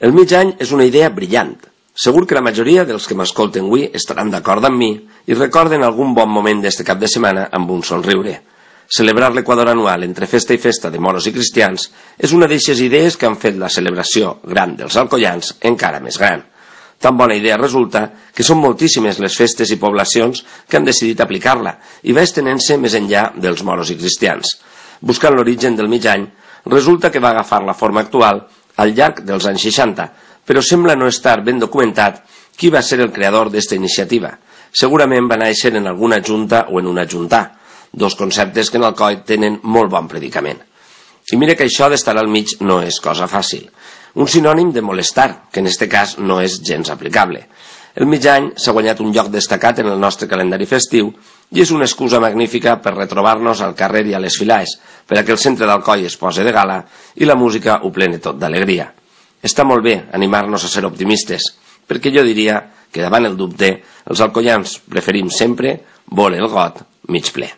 El mig any és una idea brillant. Segur que la majoria dels que m'escolten avui estaran d'acord amb mi i recorden algun bon moment d'este cap de setmana amb un somriure. Celebrar l'Equador anual entre festa i festa de moros i cristians és una d'eixes idees que han fet la celebració gran dels alcoians encara més gran. Tan bona idea resulta que són moltíssimes les festes i poblacions que han decidit aplicar-la i va estenent-se més enllà dels moros i cristians. Buscant l'origen del mig any, resulta que va agafar la forma actual al llarg dels anys 60, però sembla no estar ben documentat qui va ser el creador d'esta iniciativa. Segurament va néixer en alguna junta o en una juntà, dos conceptes que en Alcoi tenen molt bon predicament. I mira que això d'estar al mig no és cosa fàcil. Un sinònim de molestar, que en este cas no és gens aplicable. El mig any s'ha guanyat un lloc destacat en el nostre calendari festiu i és una excusa magnífica per retrobar-nos al carrer i a les filaes, per a que el centre d'Alcoi es posi de gala i la música ho plene tot d'alegria. Està molt bé animar-nos a ser optimistes, perquè jo diria que davant el dubte els alcoians preferim sempre voler el got mig ple.